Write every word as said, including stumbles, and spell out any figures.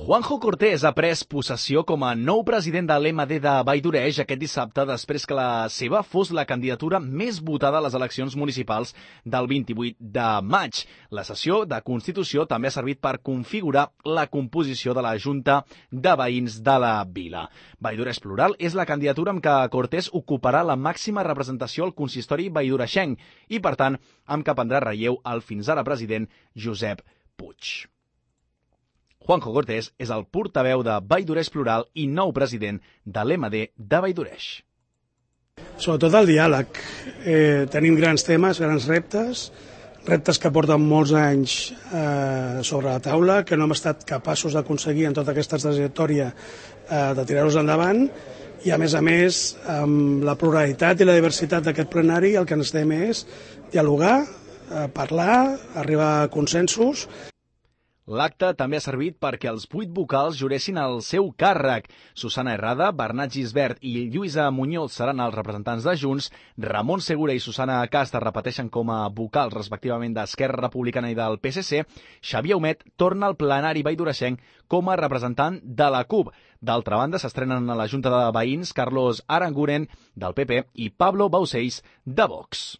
Juanjo Cortés ha pres possessió com a nou president de l'M D de Vall d'Oreix aquest dissabte després que la seva fos la candidatura més votada a les eleccions municipals del vint-i-vuit de maig. La sessió de Constitució també ha servit per configurar la composició de la Junta de Veïns de la vila. Vall d'Oreix Plural és la candidatura amb què Cortés ocuparà la màxima representació al consistori valldoreixenc i, per tant, amb què prendrà relleu el fins ara president Josep Puig. Juanjo Cortés és el portaveu de Vall d'Oreix Plural i nou president de l'M D de Vall d'Oreix. Sobretot el diàleg. Eh, tenim grans temes, grans reptes, reptes que porten molts anys eh, sobre la taula, que no hem estat capaços d'aconseguir en tota aquesta trajectòria eh, de tirar-los endavant, i a més a més, amb la pluralitat i la diversitat d'aquest plenari, el que necessitem és dialogar, eh, parlar, arribar a consensos. L'acte també ha servit perquè els vuit vocals juressin el seu càrrec. Susana Herrada, Bernat Gisbert i Lluïsa Muñoz seran els representants de Junts, Ramon Segura i Susana Casta repeteixen com a vocals respectivament d'Esquerra Republicana i del P S C, Xavier Humet torna al plenari valldoreixenc com a representant de la CUP. D'altra banda, s'estrenen a la Junta de Veïns Carlos Aranguren, del P P, i Pablo Baucells, de Vox.